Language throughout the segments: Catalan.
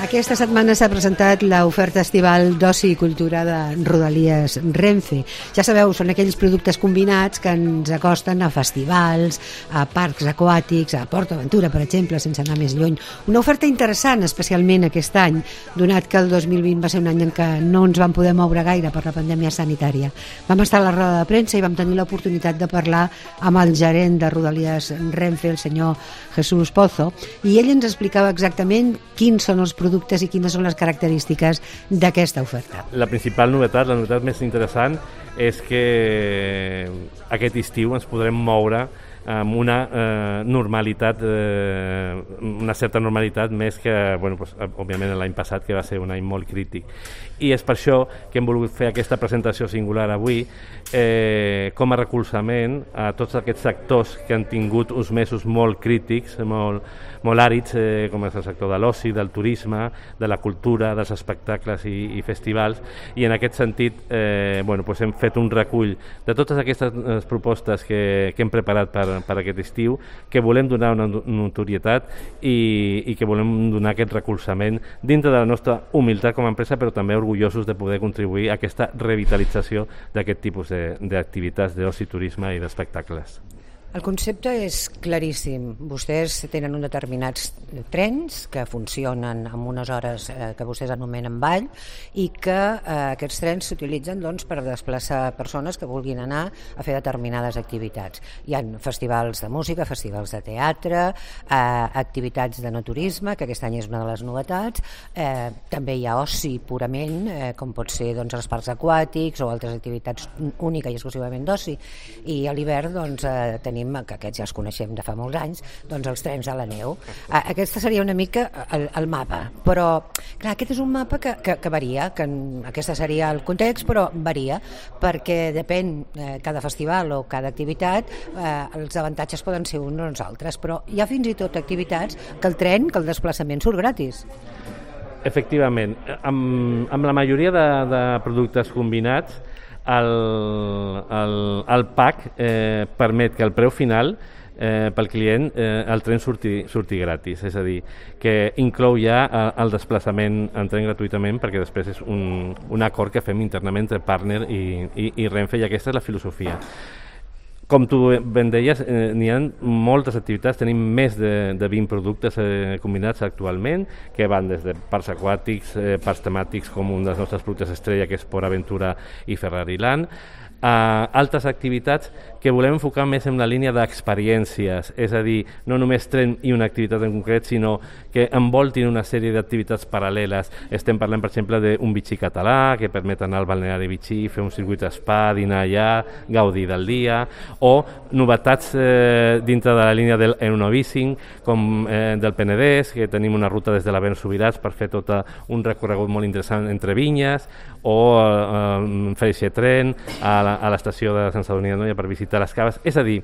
Aquesta setmana s'ha presentat l'oferta estival d'oci i cultura de Rodalies Renfe. Ja sabeu, són aquells productes combinats que ens acosten a festivals, a parcs aquàtics, a PortAventura, per exemple, sense anar més lluny. Una oferta interessant, especialment aquest any, donat que el 2020 va ser un any en què no ens vam poder moure gaire per la pandèmia sanitària. Vam estar a la roda de premsa i vam tenir l'oportunitat de parlar amb el gerent de Rodalies Renfe, el senyor Jesús Pozo, i ell ens explicava exactament quins són els productes i quines són les característiques d'aquesta oferta. La principal novetat, la novetat més interessant, és que aquest estiu ens podrem moure amb una normalitat, una certa normalitat més que, òbviament, l'any passat, que va ser un any molt crític. I és per això que hem volgut fer aquesta presentació singular avui com a recolzament a tots aquests sectors que han tingut uns mesos molt crítics, molt àrids, com és el sector de l'oci, del turisme, de la cultura, dels espectacles i festivals, i en aquest sentit hem fet un recull de totes aquestes propostes que hem preparat per aquest estiu, que volem donar una notorietat i que volem donar aquest recolzament dintre de la nostra humilitat com a empresa, però també orgullosos de poder contribuir a aquesta revitalització d'aquest tipus d'activitats d'oci, turisme i d'espectacles. El concepte és claríssim. Vostès tenen uns determinats trens que funcionen amb unes hores que vostès anomenen ball i que aquests trens s'utilitzen per desplaçar persones que vulguin anar a fer determinades activitats. Hi ha festivals de música, festivals de teatre, activitats de no turisme, que aquest any és una de les novetats. També hi ha oci purament, com pot ser els parcs aquàtics o altres activitats única i exclusivament d'oci. I a l'hivern tenim, que aquests ja els coneixem de fa molts anys, els trens a la neu. Aquesta seria una mica el mapa, però clar, aquest és un mapa que varia, que aquesta seria el context, però varia, perquè depèn cada festival o cada activitat, els avantatges poden ser uns o uns altres, però hi ha fins i tot activitats que el tren, que el desplaçament surt gratis. Efectivament, amb la majoria de productes combinats, el pack permet que el preu final pel client el tren surti gratis, és a dir, que inclou ja el desplaçament en tren gratuïtament, perquè després és un acord que fem internament entre partner i Renfe, i aquesta és la filosofia. Com tu ben deies, n'hi ha moltes activitats, tenim més de 20 productes combinats actualment, que van des de parcs aquàtics, parcs temàtics com un dels nostres productes estrella, que és PortAventura i Ferrariland, a altres activitats que volem enfocar més en la línia d'experiències, és a dir, no només tren i una activitat en concret, sinó que envoltin una sèrie d'activitats paral·leles. Estem parlant, per exemple, d'un Vichy català, que permet anar al balneari Vichy, fer un circuit spa, dinar allà, gaudir del dia, o novetats dintre de la línia del Enovising, com del Penedès, que tenim una ruta des de la Vent Subirats per fer tot un recorregut molt interessant entre vinyes, o Freixe Tren, a l'estació de Sant Sadurní d'Anoia per visitar les caves. És a dir,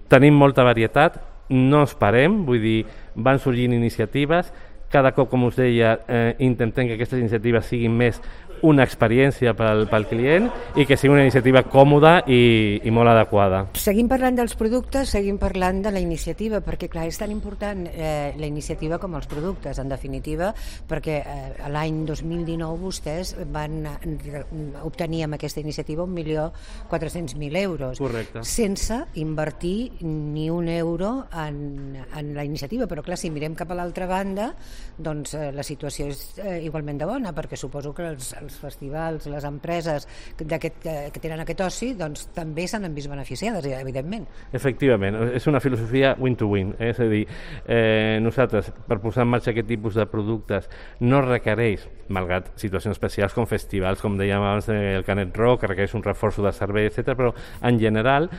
tenim molta varietat, no ens parem, vull dir, van sorgint iniciatives, cada cop, com us deia, intentem que aquestes iniciatives siguin més una experiència pel client i que sigui una iniciativa còmoda i molt adequada. Seguim parlant dels productes, seguim parlant de la iniciativa, perquè clar, és tan important la iniciativa com els productes, en definitiva, perquè l'any 2019 vostès van obtenir amb aquesta iniciativa 1.400.000 euros. Correcte. Sense invertir ni un euro en la iniciativa, però clar, si mirem cap a l'altra banda, doncs la situació és igualment de bona, perquè suposo que els festivals, les empreses que tenen aquest oci, doncs també s'han vist beneficiades, evidentment. Efectivament, és una filosofia win-to-win, és a dir, nosaltres, per posar en marxa aquest tipus de productes, no requereix, malgrat situacions especials com festivals, com dèiem abans, el Canet Rock, que requereix un reforç de servei, etc., però en general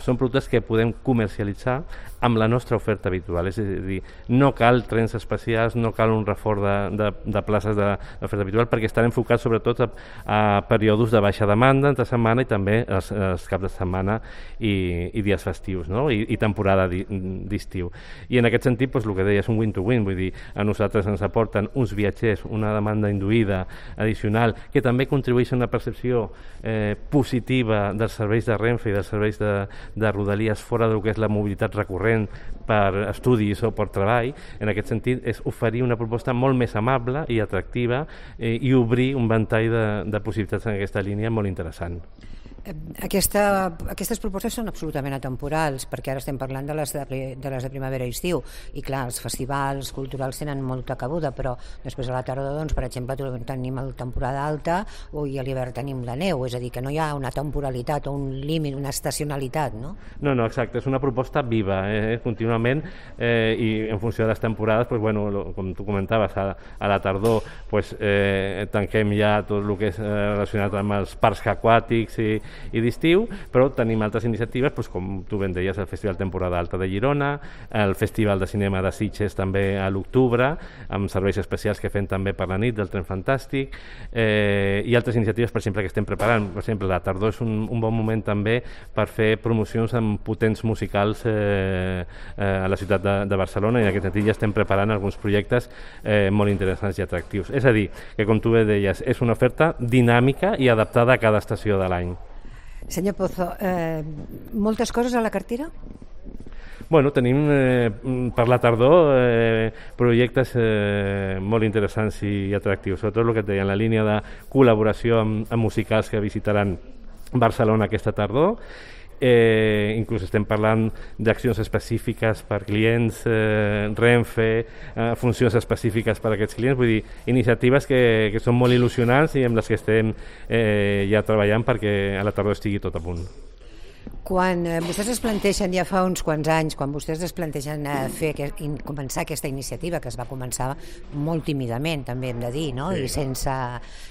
són productes que podem comercialitzar amb la nostra oferta habitual, és a dir, no cal trens especials, no cal un reforç de places d'oferta habitual, perquè estan enfocats sobretot a períodes de baixa demanda entre setmana i també els caps de setmana i dies festius, no? I temporada d'estiu. I en aquest sentit, el que deia és un win-to-win, vull dir, a nosaltres ens aporten uns viatgers, una demanda induïda addicional, que també contribueix a una percepció positiva dels serveis de Renfe i dels serveis de Rodalies fora del que és la mobilitat recurrent per estudis o per treball. En aquest sentit, és oferir una proposta molt més amable i atractiva i obrir un ventall de possibilitats en aquesta línia molt interessant. Aquestes propostes són absolutament atemporals, perquè ara estem parlant de les de primavera i estiu, i clar, els festivals culturals tenen molta cabuda, però després a la tardor, doncs, per exemple, tenim la temporada alta i a l'hivern tenim la neu, és a dir, que no hi ha una temporalitat o un límit, una estacionalitat, no? No, exacte, és una proposta viva, contínuament, i en funció de les temporades, pues, bueno, com tu comentaves, a la tardor pues, tanquem ja tot el que és relacionat amb els parcs aquàtics i d'estiu, però tenim altres iniciatives, doncs, com tu ben deies, el Festival Temporada Alta de Girona, el Festival de Cinema de Sitges també a l'octubre, amb serveis especials que fem també per la nit del Tren Fantàstic, i altres iniciatives, per exemple, que estem preparant. Per exemple, la tardor és un bon moment també per fer promocions amb potents musicals a la ciutat de Barcelona, i en aquest sentit ja estem preparant alguns projectes molt interessants i atractius. És a dir, que com tu bé deies, és una oferta dinàmica i adaptada a cada estació de l'any. Senyor Pozo, moltes coses a la cartera? Bueno, tenim per la tardor projectes molt interessants i atractius, sobretot el que et deia, en la línia de col·laboració amb musicals que visitaran Barcelona aquesta tardor. Inclús estem parlant d'accions específiques per clients, Renfe, funcions específiques per a aquests clients, vull dir, iniciatives que són molt il·lusionants i amb les que estem ja treballant perquè a la tardor estigui tot a punt. Quan vostès es plantegen ja fa uns quants anys, quan vostès es plantegen començar aquesta iniciativa, que es va començar molt tímidament, també hem de dir, no? Sí. I sense,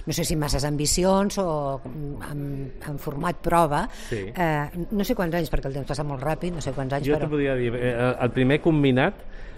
no sé si masses ambicions o en format prova, sí. No sé quants anys, perquè el temps passa molt ràpid, no sé quants anys, jo t'ho podria dir, el primer combinat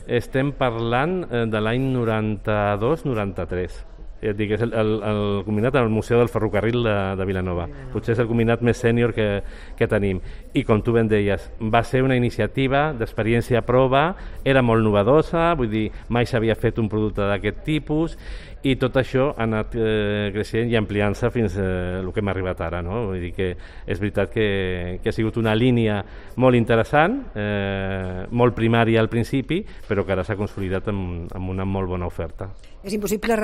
estem parlant de l'any 92-93. Et dic, és el combinat al Museu del Ferrocarril de Vilanova. Potser és el combinat més sènior que tenim. I com tu ben deies, va ser una iniciativa d'experiència a prova, era molt novedosa, vull dir, mai s'havia fet un producte d'aquest tipus, i tot això ha anat creixent i ampliant-se fins el que hem arribat ara, no? Vull dir que és veritat que ha sigut una línia molt interessant, molt primària al principi, però que ara s'ha consolidat amb una molt bona oferta. És impossible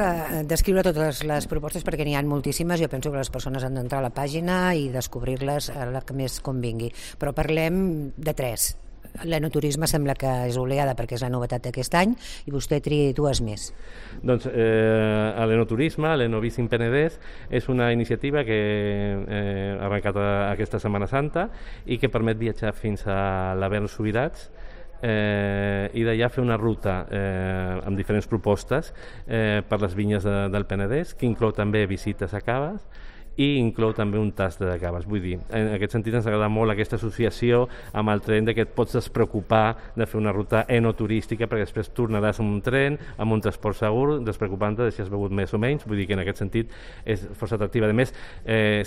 descriure totes les propostes perquè n'hi ha moltíssimes. Jo penso que les persones han d'entrar a la pàgina i descobrir-les la que més convingui. Però parlem de 3. L'enoturisme sembla que és oleada perquè és la novetat d'aquest any i vostè tria 2 més. Doncs l'enoturisme, l'Enovisc Penedès, és una iniciativa que ha arrencat aquesta Setmana Santa i que permet viatjar fins a l'Avern Subirats i d'allà fer una ruta amb diferents propostes per les vinyes del Penedès, que inclou també visites a caves i inclou també un tast de caves. Vull dir, en aquest sentit ens agrada molt aquesta associació amb el tren, de que et pots despreocupar de fer una ruta enoturística perquè després tornaràs amb un tren, amb un transport segur, despreocupant-te de si has begut més o menys. Vull dir que en aquest sentit és força atractiva. A més,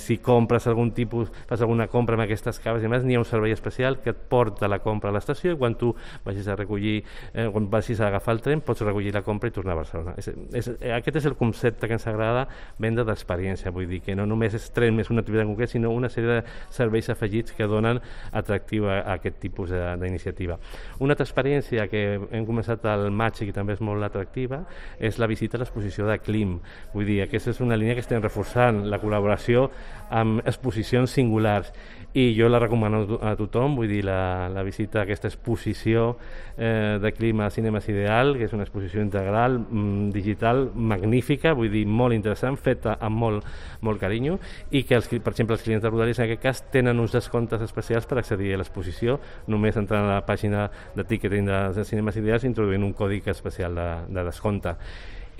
si compres algun tipus, fas alguna compra amb aquestes caves i més, n'hi ha un servei especial que et porta la compra a l'estació i quan tu vagis a recollir, quan vagis a agafar el tren, pots recollir la compra i tornar a Barcelona. Aquest és el concepte que ens agrada vendre d'experiència. Vull dir que no només és tren més una activitat en concret, sinó una sèrie de serveis afegits que donen atractiu a aquest tipus d'iniciativa. Una altra experiència que hem començat al maig i que també és molt atractiva és la visita a l'exposició de Klim. Vull dir, aquesta és una línia que estem reforçant, la col·laboració amb exposicions singulars, i jo la recomano a tothom. Vull dir, la visita a aquesta exposició de Klim a Cinemes Ideal, que és una exposició integral, digital, magnífica, vull dir, molt interessant, feta amb molt carinyo, i que, per exemple, els clients de Rodalies en aquest cas tenen uns descomptes especials per accedir a l'exposició, només entrant a la pàgina de ticketing de Cinemes Ideals introduint un còdic especial de descompte.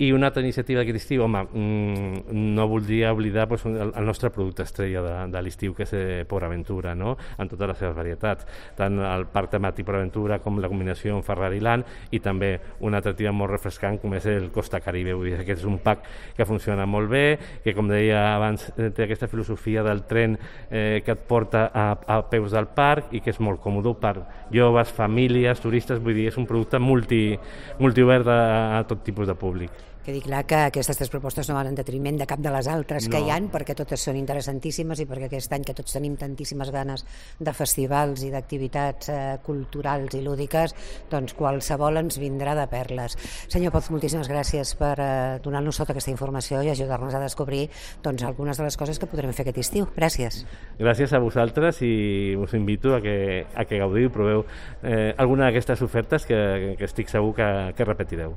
I una altra iniciativa d'aquest estiu, home, no voldria oblidar el nostre producte estrella de l'estiu, que és Port Aventura, no? En totes les seves varietats, tant el parc temàtic Port Aventura com la combinació amb Ferrari Land, i també una atractiva molt refrescant com és el Costa Caribe. Vull dir, aquest és un pack que funciona molt bé, que, com deia abans, té aquesta filosofia del tren que et porta a peus del parc i que és molt còmode per joves, famílies, turistes. Vull dir, és un producte multiobert a tot tipus de públic. Quedi clar que aquestes 3 propostes no van en detriment de cap de les altres que hi han, perquè totes són interessantíssimes i perquè aquest any que tots tenim tantíssimes ganes de festivals i d'activitats culturals i lúdiques, doncs qualsevol ens vindrà de perles. Senyor Poz, moltíssimes gràcies per donar-nos tota aquesta informació i ajudar-nos a descobrir doncs, algunes de les coses que podrem fer aquest estiu. Gràcies. Gràcies a vosaltres i us invito a que gaudiu i proveu alguna d'aquestes ofertes que estic segur que repetireu.